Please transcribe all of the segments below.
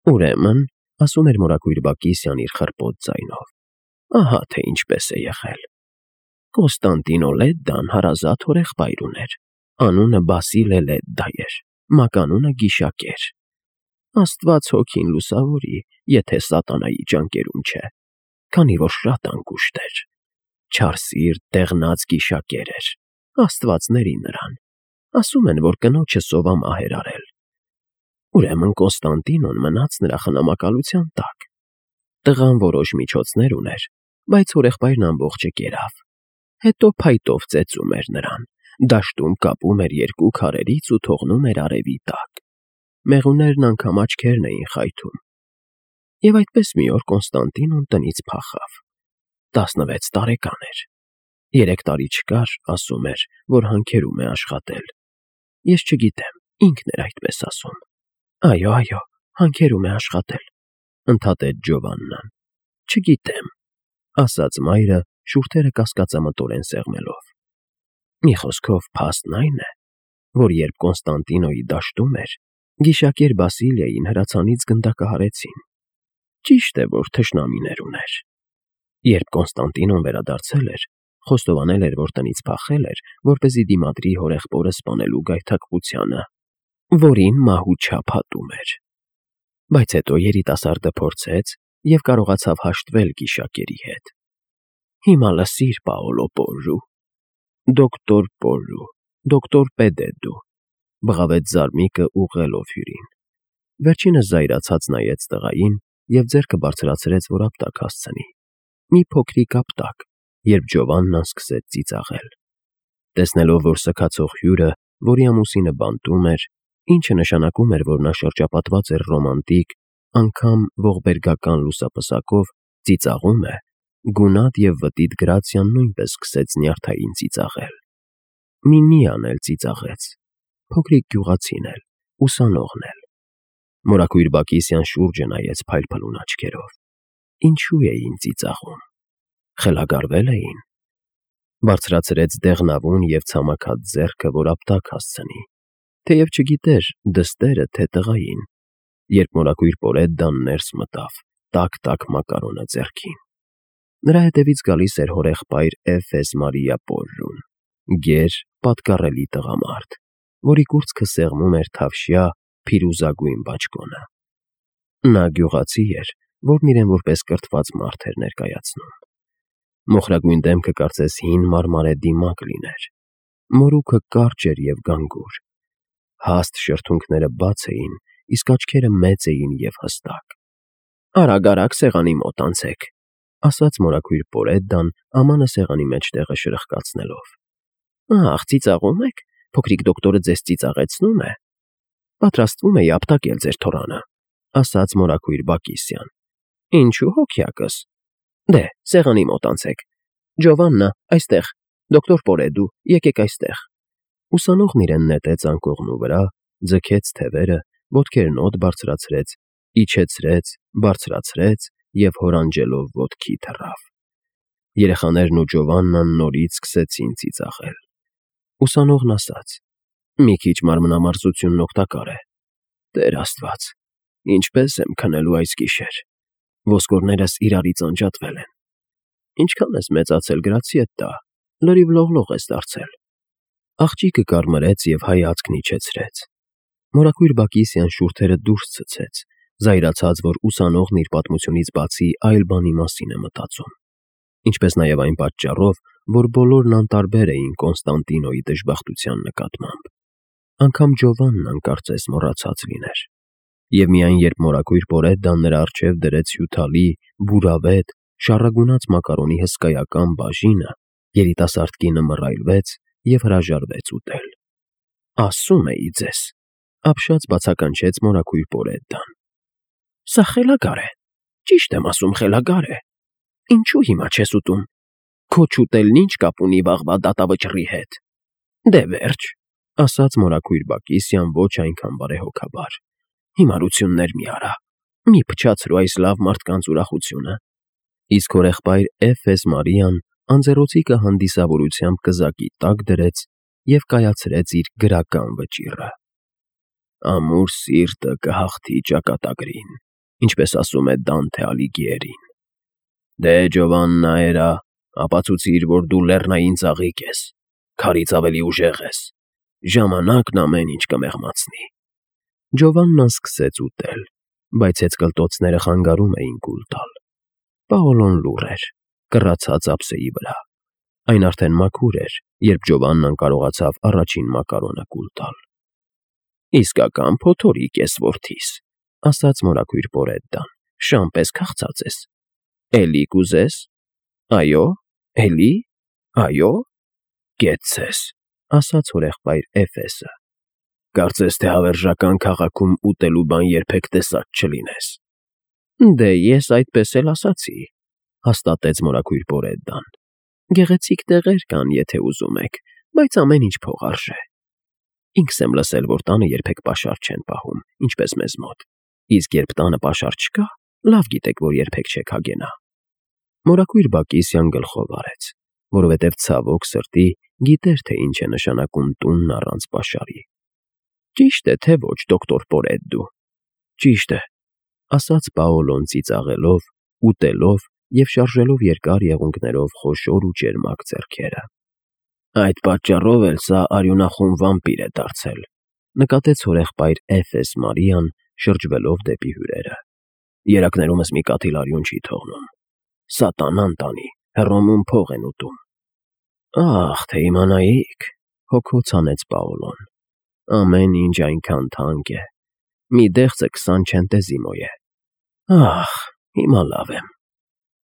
Ուրեմն, ասում էր մորակույր Բակիսյան իր խռպոտ ձայնով, ահա թե ինչպես է եղել. Կոստանդինո Լեդդան հարազատ հորեղբայր ուներ, անունը Բասիլե Լեդդա էր, մականունը Գիշակեր։ Աստված հոգին լուսավորի, եթե սատանայի ճանկերում չէ, քանի որ շատ անկուշտ էր, չար սիրտ, դեղնած գիշակեր էր, աստվածների նրան, ասում են, որ կնոջը սովամահ էր արել։ Ուրեմն Կոստանդինոն մնաց նրա խնամակալության տակ։ Տղան որոշ միջոցներ ուներ, բայց հորեղբայրն ամբողջը կերավ։ Հետո փայտով ծեծում էր նրան, դաշտում կապում էր երկու քարերից ու թողնում էր արևի տակ։ Մեղուներն անգամ աչքերն էին խայթում։ Եվ այդպես մի օր Կոստանդինոն տնից փախավ։ 16 տարեկան էր։ 3 տարի չկար, ասում էր, որ հանքերում է աշխատել։ Ես չգիտեմ, ինքն էր այդպես ասում։ Այո, հանքերում է աշխատել, ընդհատեց Ջովաննան։ Չգիտեմ, ասաց մայրը, շուրթերը կասկածամտորեն սեղմելով։ Մի խոսքով փաստն այն է, որ երբ Կոնստանտինոյի դաշտում էր, Գիշակեր Բասիլիային հրացանից գնդակահարեցին։ Ճիշտ է, որ թշնամիներ ուներ։ Երբ Կոնստանտինոն վերադարձել էր, խոստովանել էր, որ տնից փախել էր, որպեսզի դիմադրի հորեղբորը սպանելու գայթակղությանը, որին մահու չափ հատում էր։ Բայց հետո երիտասարդը փորձեց և կարողացավ հաշտվել Գիշակերի հետ։ Հիմա լսիր, Պաոլո Պոռու, դոկտոր Պոռու, դոկտոր Պեդեդու, բղավեց Զարմիկը ուղղելով հյուրին։ Վերջինս զայրացած նայեց տղային և ձեռքը բարձրացրեց, որ ապտակ հասցնի։ Մի փոքրիկ ապտակ, երբ Ջովաննան սկսեց ծիծաղել։ Տեսնելով, որ սգացող հյուրը, որի ամուսինը բանտում էր, ինչը նշանակում էր, որ նա շրջապատված էր ռոմանտիկ, անգամ ողբերգական լուսապսակով, ծիծաղում է, գունատ և վտիտ Գրացիան նույնպես սկսեց նյարդային ծիծաղել։ Միմիան էլ ծիծաղեց, փոքրիկ գյուղացին էլ, ուսանողն էլ։ Մորակույր Բակիսյան շուրջը նայեց փայլփլուն աչքերով։ Ինչու էին ծիծաղում։ Խելագարվել էին։ Բարձրացրեց դեղնավուն և ցամաքած ձեռքը, որ ապտակ հասցնի, թեև չգիտեր դստերը թե տղային, երբ մորակույր Պոլեդդան ներս մտավ, տաք մակարոնը ձեռքին։ Նրա հետևից գալիս էր հորեղբայր Էֆես Մարիա Պոռուն, գեր, պատկառելի տղամարդ, որի կուրծքը սեղմում էր թավշյա փիրուզագույն բաճկոնը։ Նա գյուղացի էր, որն իրեն որպես կրթված մարդ էր ներկայացնում։ Մոխրագույն դեմքը կարծես հին մարմարե դիմակ լիներ։ Մորուքը կարճ էր և գանգուր։ Հաստ շրթունքները բաց էին, իսկ աչքերը մեծ էին և հստակ։ Արագ սեղանի մոտ անցեք, ասաց մորակույր Պոլեդդան, ամանը սեղանի մեջտեղը շրխկացնելով։ Ահ, ծիծաղում եք, փոքրիկ դոկտորը ձեզ ծիծաղեցնում է։ Պատրաստվում էի ապտակել ձեր թոռանը, ասաց մորակույր Բակիսյան։ Ինչու հոգյակս։ Դե, սեղանի մոտ անցեք։ Ջովաննա, այստեղ, դոկտոր Պոլեդու, եկեք այստեղ։ Ուսանողն իրեն նետեց անկողնու վրա, ձգեց թևերը, ոտքերն օդ բարձրացրեց, իջեցրեց, բարձրացրեց և հորանջելով ոտքի թռավ։ Երեխաներն ու Ջովաննան նորից սկսեցին ծիծաղել։ Ուսանողն ասաց. Մի քիչ մարմնամարզությունն օգտակար է։ Տեր Աստված, ինչպես եմ քնելու այս գիշեր։ Ոսկորներս իրարից անջատվել են։ Ինչքան ես մեծացել, Գրացիետտա, լրիվ լողլող ես դարձել։ Աղջիկը կարմրեց և հայացքն իջեցրեց։ Մորակույր Բակիսյան շուրթերը դուրս ցցեց, զայրացած, որ ուսանողն իր պատմությունից բացի այլ բանի մասին է մտածում։ Ինչպես նաև այն պատճառով, որ բոլորն անտարբեր էին Կոնստանտինոյի դժբախտության նկատմամբ։ Անգամ Ջովաննան կարծես մոռացած լիներ։ Եվ միայն երբ մորակույր Պոլեդդան նրա առջև դրեց հյութալի, բուրավետ, շառագունած մակարոնի հսկայական բաժինը, երիտասարդ կինը մռայլվեց և հրաժարվեց ուտել։ Ասում էի ձեզ, ապշած բացականչեց մորակույր Պոլեդդան։ Սա խելագար է, ճիշտ եմ ասում, խելագար է։ Ինչու հիմա չես ուտում։ Քո չուտելն ինչ կապ ունի վաղվա դատավճռի հետ։ Դե վերջ, ասաց մորակույր Բակիսյան ոչ այնքան բարեհոգաբար։ Հիմարություններ մի արա, մի փչացրու այս լավ մարդկանց ուրախությունը։ Իսկ հորեղբայր Էֆես Մարիան անձեռոցիկը հանդիսավորությամբ կզակի տակ դրեց և կայացրեց իր գրական վճիռը։ Ամուր սիրտը կհաղթի ճակատագրին։ ինչպես ասում է Դանթե Ալիգիերին։ Դե Ջովաննա էրա, ապացուցիր, որ դու լեռնային ծաղիկ ես, քարից ավելի ուժեղ ես, ժամանակն ամեն ինչ կմեղմացնի։ Ջովաննան սկսեց ուտել, բայց հեծկլտոցները խանգարում էին կուլ տալ։ Պաոլոն լուռ էր, կռացած ափսեի վրա։ Այն արդեն մաքուր էր, երբ Ջովաննան կարողացավ առաջին մակարոնը կուլ տալ։ Իսկական փոթորիկ ես, որդիս, ասաց մորաքույր Պորեդդան, շան պես քաղցած ես։ Էլի կուզես։ Այո, էլի, այո, կեցցես, ասաց հորեղբայր Էֆեսը։ Կարծես թե հավերժական քաղաքում ուտելու բան երբեք տեսած չլինես։ Դե ես այդպես էլ ասացի, հաստատեց մորաքույր Պորեդդան։ Գեղեցիկ տեղեր կան, եթե ուզում եք, բայց ամեն ինչ փող արժե։ Ինքս եմ լսել, որ տանը երբեք պաշար չեն պահում, ինչպես մեզ մոտ։ Իսկ երբ տանը պաշար չկա, լավ գիտեք, որ երբեք չեք հագենա։ Մորաքույր Բակիսյան գլխով արեց, որովհետև ցավոք սրտի գիտեր, թե ինչ է նշանակում տունն առանց պաշարի։ Ճիշտ է, թե ոչ, դոկտոր Պորեդդու։ Ճիշտ է, ասաց Պաոլոն ծիծաղելով, ուտելով և շարժելով երկար եղունգներով խոշոր ու ճերմակ ձեռքերը։ Այդ պատճառով էլ սա արյունախոն վամպիր է դարձել, նկատեց հորեղբայր Էֆես Մարիան, շրջվելով դեպի հյուրերը։ Երակներումս մի կաթիլ արյուն չի թողնում։ Սատանան տանի, Հռոմում փող են ուտում։ Ախ, թե իմանայիք, հոգոց հանեց Պաոլոն։ Ամեն ինչ այնքան թանկ է։ Մի դեղցը 20 չենտեզիմո է։ Ախ, հիմա լավ եմ։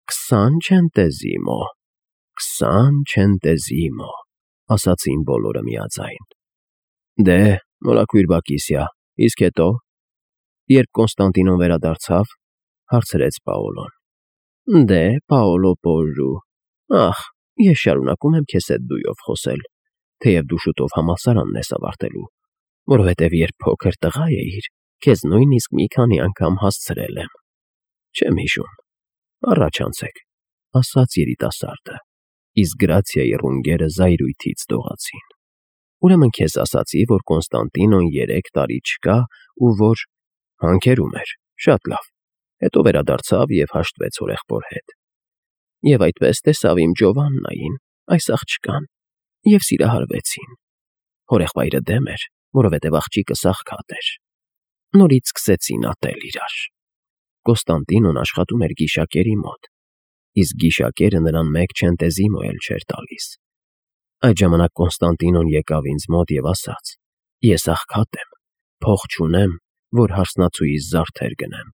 20 չենտեզիմո, 20 չենտեզիմո, ասացին բոլորը միաձայն։ Դե, մորաքույր Բակիսյա, իսկ հետո։ Երբ Կոնստանտինոն վերադարձավ, հարցրեց Պաոլոն։ Դե, Պաոլո Պոժու, ախ, ես շարունակում եմ քեզ հետ դույով խոսել, թեև դու շուտով համալսարանն ես ավարտելու, որովհետև երբ փոքր տղա էիր, քեզ նույնիսկ մի քանի անգամ հասցրել եմ։ Չեմ հիշում։ Առաջ անցեք, ասաց երիտասարդը, իսկ Գրացիայի ռունգերը զայրույթից դողացին։ Ուրեմն քեզ ասացի, որ Կոնստանտինոն 3 տարի չկա ու որ հանքերում էր, շատ լավ, հետո վերադարձավ և հաշտվեց հորեղբոր հետ։ Եվ այդպես տեսավ իմ Ջովաննային, այս աղջկան, և սիրահարվեցին։ Հորեղբայրը դեմ էր, որովհետև աղջիկը սաղքատ էր։ Նորից սկսեցին ատել իրար։ Կոնստանտինոն աշխատում էր գիշակերի մոտ, իսկ գիշակերը նրան 1 չենտեզիմո էլ չէր տալիս։ Այդ ժամանակ Կոնստանտինոն եկավ ինձ մոտ և ասաց. ես աղքատ եմ, փող չունեմ, որ հարսնացուիս զարդեր գնեմ,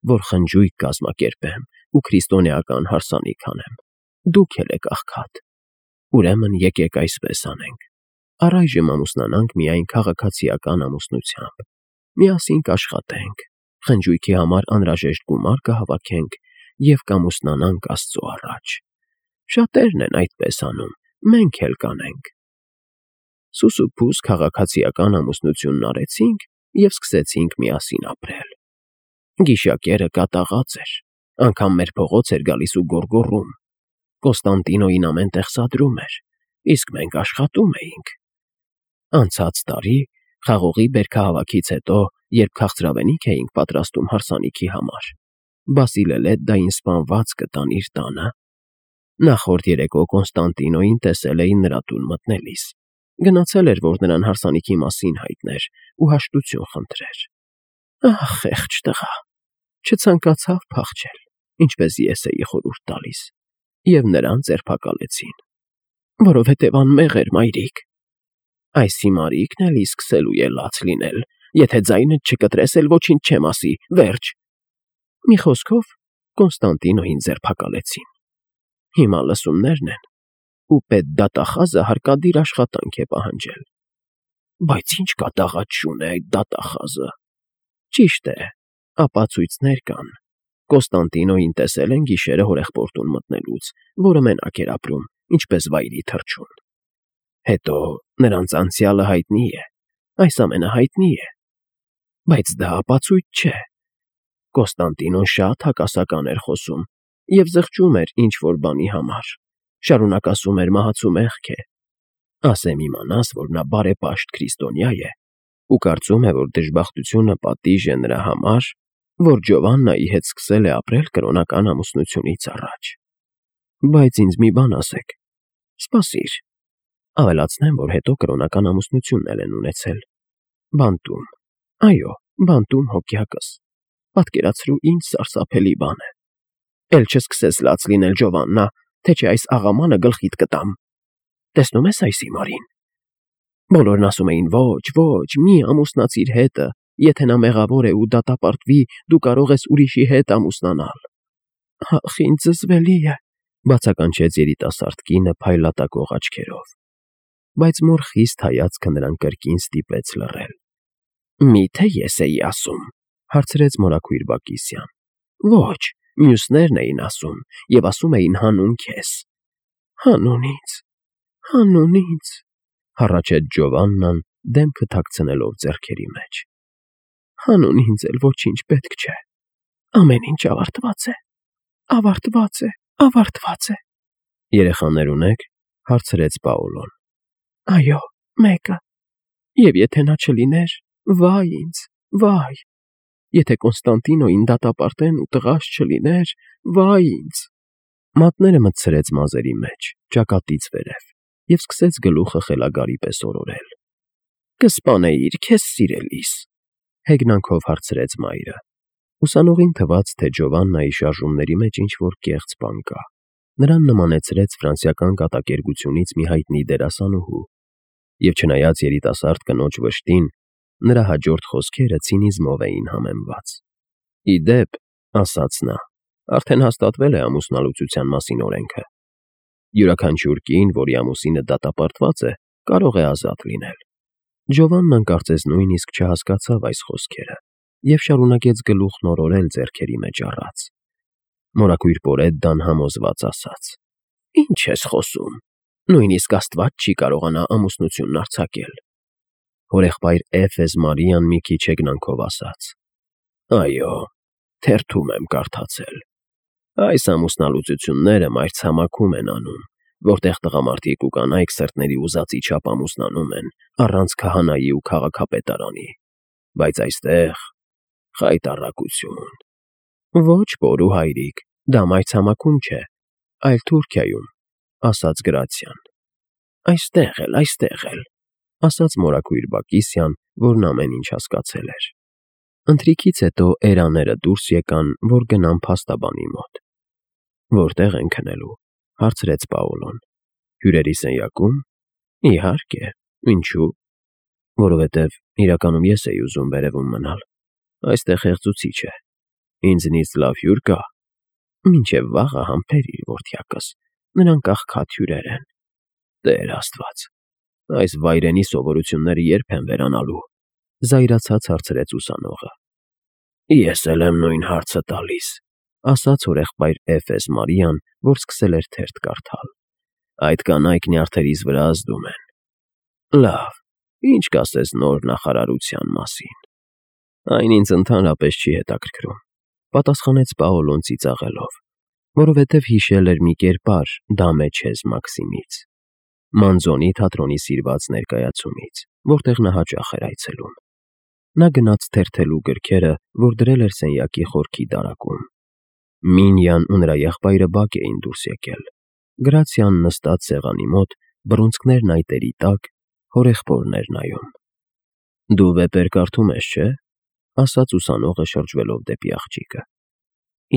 որ խնջույք կազմակերպեմ ու քրիստոնեական հարսանիք անեմ։ Դուք էլ եք աղքատ։ Ուրեմն եկեք այսպես անենք. առայժմ ամուսնանանք միայն քաղաքացիական ամուսնությամբ։ Միասին կաշխատենք, խնջույքի համար անհրաժեշտ գումար կհավաքենք և կամուսնանանք Աստծո առաջ։ Շատերն են այդպես անում, մենք էլ կանենք։ Սուսուփուս քաղաքացիական ամուսնությունն արեցինք և սկսեցինք միասին ապրել։ Գիշակերը կատաղած էր, անգամ մեր փողոց էր գալիս ու գոռգոռում։ Կոնստանտինոյին ամեն տեղ սադրում էր, իսկ մենք աշխատում էինք։ Անցած տարի, խաղողի բերքահավաքից հետո, երբ քաղցրավենիք էինք պատրաստում հարսանիքի համար, Բասիլելեդդային սպանված գտան իր տանը։ Նախորդ երեկո Կոնստանտինոյին տեսել էին նրա տուն մտնելիս։ Գնացել էր, որ նրան հարսանիքի մասին հայտներ ու հաշտություն խնդրեր։ Ահ, խեղճ տղա, չցանկացավ փախչել, ինչպես ես էի խորհուրդ տալիս, և նրան ձերբակալեցին, որովհետև անմեղ էր, մայրիկ։ Այս հիմարիկն էլի սկսելու է լաց լինել, եթե ձայնդ չկտրես, էլ ոչինչ չեմ ասի, վերջ։ Մի խոսքով, Կոնստանտինոյին ձերբակալեցին։ Հիմա լսումներն են, ու պետդատախազը հարկադիր աշխատանք է պահանջել։ Բայց ինչ կատաղած է այդ դատախազը։ Ճիշտ է, ապացույցներ կան։ Կոնստանտինոյին տեսել են գիշերը հորեղբորտուն մտնելուց, որը մենակ էր ապրում, ինչպես վայրի թռչուն։ Հետո նրանց անցյալը հայտնի է, այս ամենը հայտնի է։ Բայց դա ապացույց չէ։ Կոնստանտինոն շատ հակասական էր խոսում և զղջում էր ինչ-որ բանի համար, շարունակ ասում էր մահացու մեղք է։ Ասեմ իմանաս, որ նա բարեպաշտ քրիստոնյա է ու կարծում է, որ դժբախտությունը պատիժ է նրա համար, որ Ջովաննայի հետ սկսել է ապրել կրոնական ամուսնությունից առաջ։ Բայց ինձ մի բան ասեք, սպասիր, ավելացնեմ, որ հետո կրոնական ամուսնությունն էլ են ունեցել։ Բանտում, այո, բանտում հոգյակս, պատկերացրու ինչ սարսափելի բան է։ Էլ չսկսես լաց լինել Ջովաննա, թե չէ այս աղամանը գլխիդ կտամ։ Տեսնում ես այս հիմարին։ Բոլորն ասում էին ոչ, մի ամուսնացիր հետը, եթե նա մեղավոր է ու դատապարտվի, դու կարող ես ուրիշի հետ ամուսնանալ։ Ախ, ինչ զզվելի է, բացականչեց երիտասարդ կինը փայլատակող աչքերով։ Բայց մոր խիստ հայացքը նրան կրկին ստիպեց լռել։ Միթե ես էի ասում, հարցրեց մորաքույր Բակիսյան։ Ոչ, մյուսներն էին ասում, եւ ասում էին հանուն քեզ։ Հանուն ինձ, հառաչեց Ջովաննան, դեմքը թաքցնելով ձեռքերի մեջ։ Հանուն ինձ էլ ոչինչ պետք չէ։ Ամեն ինչ ավարտված է։ Երեխաներ ունեք, հարցրեց Պաոլոն։ Այո, մեկը։ Եվ եթե նա չլիներ, վայ ինձ, վայ։ Եթե Կոնստանտինոին դատապարտեն ու տղաս չլիներ, վայ ինձ։ Մատները մտցրեց մազերի մեջ, ճակատից վերև, և սկսեց գլուխը խելագարի պես օրորել։ Կսպանեիր քեզ սիրելիս, հեգնանքով հարցրեց մայրը։ Ուսանողին թվաց, թե Ջովաննայի շարժումների մեջ ինչ-որ կեղծ բան կա։ Նրան նմանեցրեց ֆրանսիական կատակերգությունից մի հայտնի դերասանուհու, և չնայած երիտասարդ կնոջ վշտին, նրա հաջորդ խոսքերը ցինիզմով էին համեմված։ Ի դեպ, ասաց նա, արդեն հաստատվել է ամուսնալուծության մասին օրենքը։ Յուրաքանչյուր կին, որի ամուսինը դատապարտված է, կարող է ազատ լինել։ Ջովաննան կարծես նույնիսկ չհասկացավ այս խոսքերը և շարունակեց գլուխն օրորել ձեռքերի մեջ առած։ Մորաքույր Պորեդդան համոզված ասաց. Ինչ ես խոսում, նույնիսկ Աստված չի կարողանա ամուսնությունն արձակել։ Հորեղբայր Էֆես Մարիան մի քիչ հեգնանքով ասաց. Այո, թերթում եմ կարդացել։ Այս ամուսնալուծությունները մայրցամաքում են անում, որտեղ տղամարդիկ ու կանայք սրտների ուզածի չափ ամուսնանում են առանց քահանայի ու քաղաքապետարանի, բայց այստեղ խայտառակություն։ Ոչ, պորու հայրիկ, դա մայրցամաքում չէ, այլ Թուրքիայում, ասաց Գրացիան։ Այստեղ էլ, ասաց մորաքույր Բակիսյան, որն ամեն ինչ հասկացել էր։ Ընթրիքից հետո էրաները դուրս եկան, որ գնան փաստաբանի մոտ։ Որտեղ են քնելու, հարցրեց Պաոլոն։ Հյուրերի սենյակում։ Իհարկե, ինչու՞։ Որովհետև իրականում ես էի ուզում վերևում մնալ։ Այստեղ հեղձուցիչ է։ Ինձնից լավ հյուր կա։ Մինչև վաղը համբերիր, որդյակս, նրանք աղքատ հյուրեր են։ Տեր Աստված, այս վայրենի սովորությունները երբ են վերանալու, զայրացած հարցրեց ուսանողը։ Ես էլ եմ նույն հարցը տալիս, ասաց հորեղբայր Էֆես Մարիան, որ սկսել էր թերթ կարդալ։ Այդ կանայք նյարդերիս վրա ազդում են։ Լավ, ինչ կասես նոր նախարարության մասին։ Այն ինձ ընդհանրապես չի հետաքրքրում, պատասխանեց Պաոլոն ծիծաղելով, որովհետև հիշել էր մի կերպար Դամեչեզ Մաքսիմից, Մանզոնի թատրոնի սիրված ներկայացումից, որտեղ նա հաճախ էր այցելում։ Նա գնաց թերթելու գրքերը, որ դրել էր սենյակի խորքի դարակում։ Մինյան ու նրա եղբայրը բակ էին դուրս եկել։ Գրացիան նստած սեղանի մոտ, բռունցքներն այտերի տակ, հորեղբորն էր նայում։ Դու վեպեր կարդում ես, չէ՞, ասաց ուսանողը շրջվելով դեպի աղջիկը։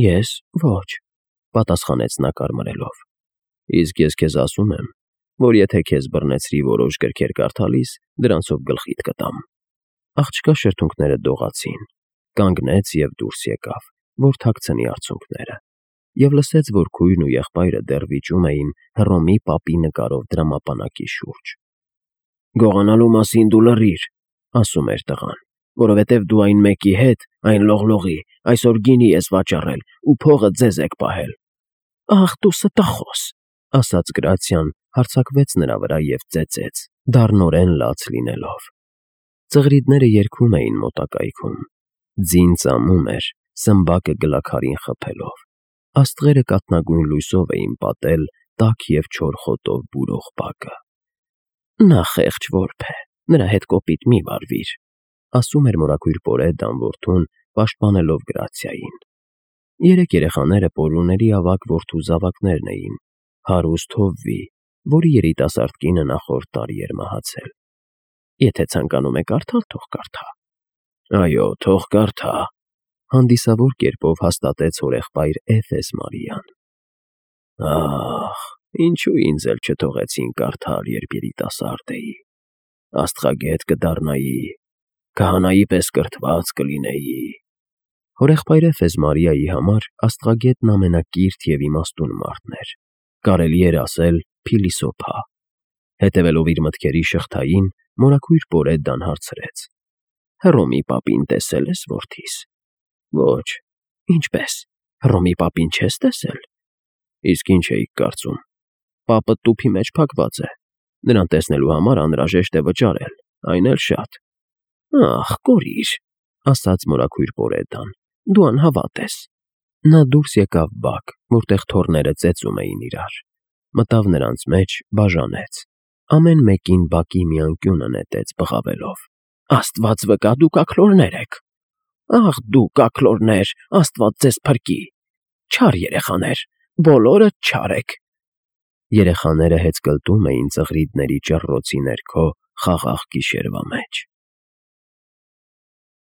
Ես ոչ, պատասխանեց նա կարմրելով։ Իսկ ես քեզ ասում եմ, որ եթե քեզ բռնեցրի որոշ գրքեր կարդալիս, դրանցով գլխիդ կտամ։ Աղջկա շրթունքները դողացին, կանգնեց և դուրս եկավ, որ թաքցնի արցունքները, և լսեց, որ քույրն ու եղբայրը դեռ վիճում էին Հռոմի պապի նկարով դրամապանակի շուրջ։ Գողանալու մասին դու լռիր, ասում էր տղան, որովհետև դու այն մեկի հետ, այն լողլողի, այսօր գինի ես վաճառել ու փողը ձեզ եք պահել։ Ախ, դու ստախոս, ասաց Գրացիան, հարձակվեց նրա վրա և ծեծեց, դառնորեն լաց լինելով։ Ծղրիդները երգում էին մոտակայքում։ Ձին ծամում էր, սմբակը գլաքարին խփելով։ Աստղերը կաթնագույն լույսով էին պատել տաք և չոր խոտով բուրող բակը։ Նա խեղճ որբ է, նրա հետ կոպիտ մի վարվիր, ասում էր մորաքույր Պորեդդան որդուն, պաշտպանելով Գրացիային։ Երեք երեխաները Պոլուների ավագ որդու զավակներն էին, հարուստ հովվի, որի երիտասարդ կինը նախորդ տարի էր մահացել։ Եթե ցանկանում է կարդալ, թող կարդա։ Այո, թող կարդա, հանդիսավոր կերպով հաստատեց հորեղբայր Էֆես Մարիան։ Ահ, ինչու ինձ էլ չթողեցին կարդալ, երբ երիտասարդ էի։ Աստղագետ կդառնայի, քահանայի պես կրթված կլինեի։ Հորեղբայր Էֆես Մարիայի համար աստղագետն ամենակիրթ և իմաստուն մարդն էր, կարելի էր ասել փիլիսոփա։ Հետևելով իր մտքերի շղթային, մորաքույր Պորեդդան հարցրեց. Հռոմի պապին տեսե՞լ ես, որդիս։ Ոչ, ինչպես, Հռոմի պապին չես տեսել։ Իսկ ինչ էիք կարծում։ Պապը տուփի մեջ փակված է։ Նրան տեսնելու համար անհրաժեշտ է վճարել, այն էլ շատ։ Ախ, կորիր, ասաց մորաքույր Պորեդդան, դու անհավատ ես։ Նա դուրս եկավ բակ, որտեղ թոռները ծեծում էին իրար, մտավ նրանց մեջ, բաժանեց, ամեն մեկին բակի մի անկյունը նետեց բղավելով. Աստված վկա, դուք աքլորներ եք։ Ախ, դուք աքլորներ, Աստված ձեզ փրկի։ Չար երեխաներ, բոլորդ չար եք։ Երեխաները հեծկլտում էին ծղրիդների ճռռոցի ներքո խաղաղ գիշերվա մեջ։